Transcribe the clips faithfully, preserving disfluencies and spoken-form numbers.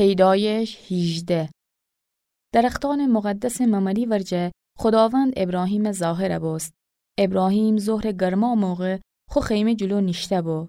پیدایش هیجده. درختأنٚ مقدسٚ ممری ورجه خوداوند ابراهیمَ ظاهر بوست. ابراهیم ظهرٚ گرما موقع خو خیمه جلو نیشته بو.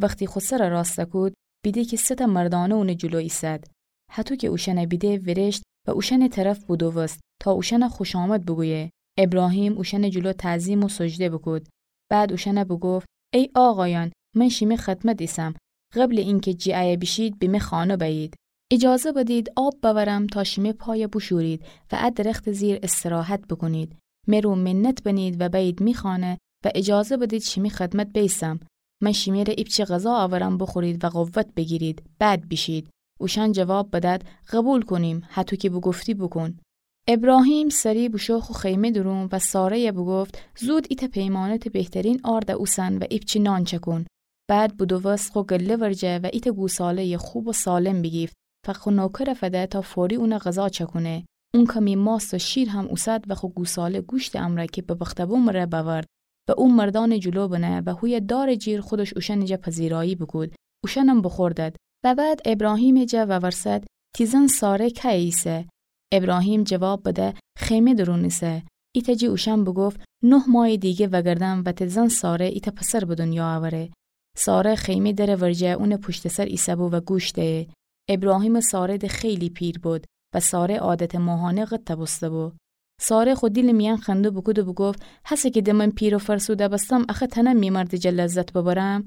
وختی خو سرَ راستَ کود، بیده کی سه تأ مردأنه اونٚ جلو ایسد. هطو کی اوشأنَ بیده، ویرشت و اوشأنٚ طرف بودووست تا اوشأنَ خوشامد بوگویه. ابراهیم اوشأنٚ جلو تعظیم و سجده بوکود. بعد اوشأنَ بوگفت: ای آقایأن، من شیمی خدمت ایسم. قبلٚ اینکی جی ایه بیشید، به می خانه بأیید. اجازه بدید آب بأورم تا شیمی پایَ بوشورید و ا درختٚ زیر استراحت بوکونید. می رو منت بنید و بأیید می خانه و اجازه بدید شیمی خدمت بیسم. من شیمی ره ایپچه غذا آورم، بوخورید و قوت بیگیرید، بعد بیشید. اوشأن جواب بدد: قبول کونیم، هطو کی بوگفتی بوکون. ابراهیم سری بوشو خو خیمه دورون و ساره‌یَ بوگفت: زود ایتأ پیمانه ته بهترین آرد اوسن و ایپچه نان چکون. بعد بودووست خو گله ورجه و ایتأ گوساله‌یٚ خوب و سالم بیگیفت و خو نوکرَ فده تا فوری اونَ غذا چکونه. اون کمی ماست و شیر هم اوسد و خو گوساله گوشتٚ امرأ کی ببخته بو مره بأورد و او مردأنٚ جلو بنه و هویه دارٚ جیر خودش اوشأنٚ جا پذیرایی بوکود. اوشأنم بوخوردد. و بعد ابراهیمٚ جا وورسد: تی زن ساره کأیه ایسه؟ ابراهیم جواب بده: خیمه دورون ایسه. ایتأ جی اوشأن بوگفت: نه مایٚ دیگه وأگردم و ته زن ساره ایتأ پسر به دونیا اوره. ساره خیمه درٚ ورجه اونٚ پوشتٚ سر ایسه‌بو و گوش دئه. ابراهیمٚ ساره ده خیلی پیر بود و ساره عادتٚ ماهانه قطع بوسته‌بو. ساره خو دیلٚ میأن خنده بوکود و بوگفت: هسه کی ده من پیر و فرسوده بستم، اخه تأنم می مردٚ جا لذت ببرم؟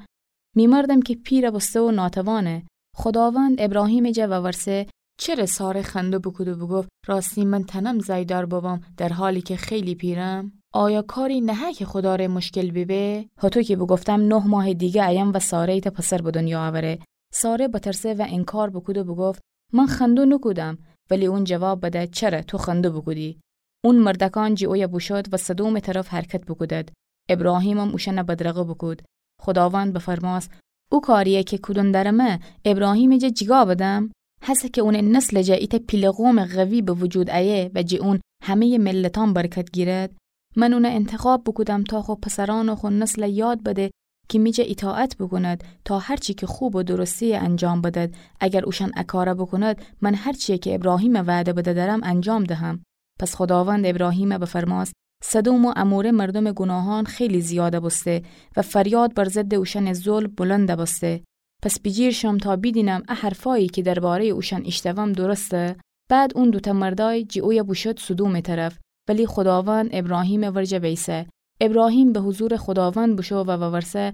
می مردم کی پیر بوسته و ناتوانه. خوداوند ابراهیمٚ جا وورسه: چره ساره خنده بوکود و بوگفت: راستی من تأنم زأیدار ببم، در حالی کی خیلی پیرم؟ آیا کاری نهه کی خودا ره مشکل بیبه؟ هطو کی بوگفتم، نه ماه دیگه ایم و ساره ایتأ پسر به دونیا اوره. ساره بترسه و انکار بوکود و بوگفت: من خنده نوکودم. ولی اون جواب بده: چره تو خنده بوکودی؟ اون مردکان جی اویه بوشود و سدومٚ طرف حرکت بوکودد. ابراهیمم اوشأنَ بدرقه بوکود. خوداوند بفرماس: او کاری‌یه کی کودن درمه، ابراهیمٚ جا جیگا بدم؟ هسه کی اونٚ نسلٚ جا ایتأ پیله قومٚ قوی به وجود ایه و جی اون همه‌یٚ ملتأن برکت گیرد؟ من اونَ انتخاب بوکودم تا خو پسرأن و خو نسلَ یاد بده کی می جا ایطاعت بوکوند، تا هر چی کی خوب و درسته‌یه انجام بدد. اگر اوشأن ا کارَ بوکوند، من هر چی‌یه کی ابراهیمَ وعده بده درم انجام دهم. پس خوداوند ابراهیمَ بفرماس: سدوم و عموره مردومٚ گوناهأن خیلی زیاد بوسته و فریاد بر ضدٚ اوشأنٚ ظلم بلند بوسته. پس بیجیر شم تا بیدینم ا حرفأیی کی درباره‌یٚ اوشأن ایشتوم درسته؟ بعد اون دوتأ مردأی جی اویه بوشود سدومٚ طرف، ولی خوداوند ابراهیمٚ ورجه بیسه. ابراهیم به حضورٚ خوداوند بوشو و وورسه: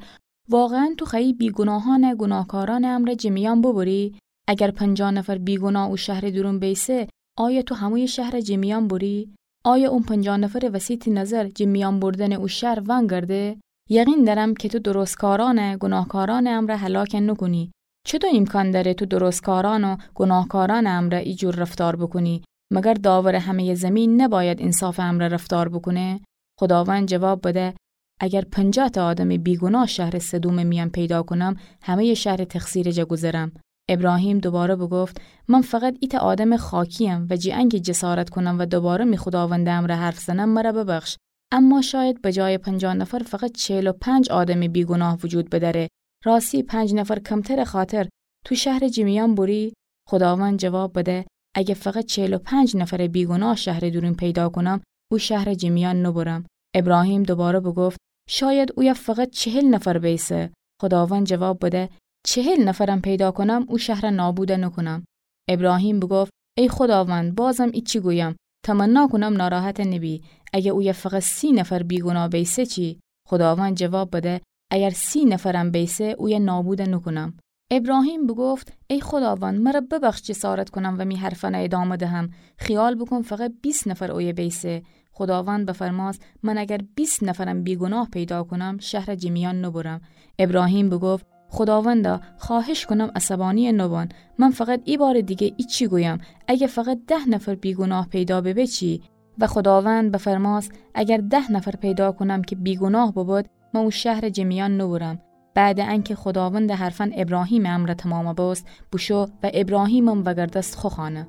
واقعاً تو خوأیی بیگوناهأنَ گوناهکارأنٚ امرأ جٚه میأن ببری؟ اگر پنجاه نفر بیگوناه او شهرٚ دورون بیسه، آیا تو همویٚ شهرَ جٚه میأن بری؟ آیا اون پنجاه نفرٚ وسی تی نظر جٚه میأن بردنٚ او شهر وأنگرده؟ یقین دأرم کی تو درستکارأنَ گوناهکارأنٚ امرأ هلاک نوکونی. چوطو ایمکان دأره تو درستکارأن و گوناهکارأنٚ امرأ ایجور رفتار بوکونی؟ مگر داورٚ همه‌یٚ زیمین نبأید اینصافٚ امرأ رفتار بوکونه؟ خوداوند جواب بده: اگر پنجاه تأ آدمٚ بیگوناه شهرٚ سدومٚ میأن پیدا کونم، همه‌یٚ شهرٚ تقصیرٚ جا گوذرم. ابراهیم دوباره بوگفت: من فقط ایتأ آدمٚ خاکی‌یم و جٚه انکی جسارت کونم و دوباره می خوداوندٚ امرأ حرف زنم، مر ببخش. اما شاید بجایٚ پنجاه نفر فقط چهل و پنج آدمٚ بیگوناه وجود بدأره. راستی پنج نفر کمترٚ خاطر تو شهرَ جٚه میأن بری؟ خوداوند جواب بده: اگه فقط چهل و پنج نفرٚ بیگوناه شهرٚ دورون پیدا کونم، او شهرَ جٚه میأن نوبرم. ابراهیم دوباره بوگفت: شاید اویه فقط چهل نفر بیسه. خوداوند جواب بده: چهل نفرم پیدا کونم، او شهرَ نابود نوکونم. ابراهیم بوگفت: ای خوداوند، بازم ایچی گویم، تمنا کونم ناراحت نبی. اگه اویه فقط سی نفر بیگوناه بیسه چی؟ خوداوند جواب بده: اگر سی نفرم بیسه، اویه نابود نوکونم. ابراهیم بوگفت: ای خوداوند، مر ببخش جسارت کونم و می حرفأنَ ادامه دهم. خیال بوکون فقط بیست نفر اویه بیسه. خوداوند بفرماس: من اگر بیست نفرم بیگوناه پیدا کونم، شهرَ جٚه میأن نوبرم. ابراهیم بوگفت: خوداوندا، خواهش کونم عصبانی نوبان. من فقط ای بارٚ دیگه ایچی گویم، اگه فقط ده نفر بیگوناه پیدا ببه چی؟ و خوداوند بفرماس: اگر ده نفر پیدا کونم کی بیگوناه ببد، من او شهرَ جٚه میأن نوبرم. بعدٚ انکی خوداوندٚ حرفأن ابراهیمٚ امرأ تمام بوست، بوشو و ابراهیمم وأگردست خو خانه.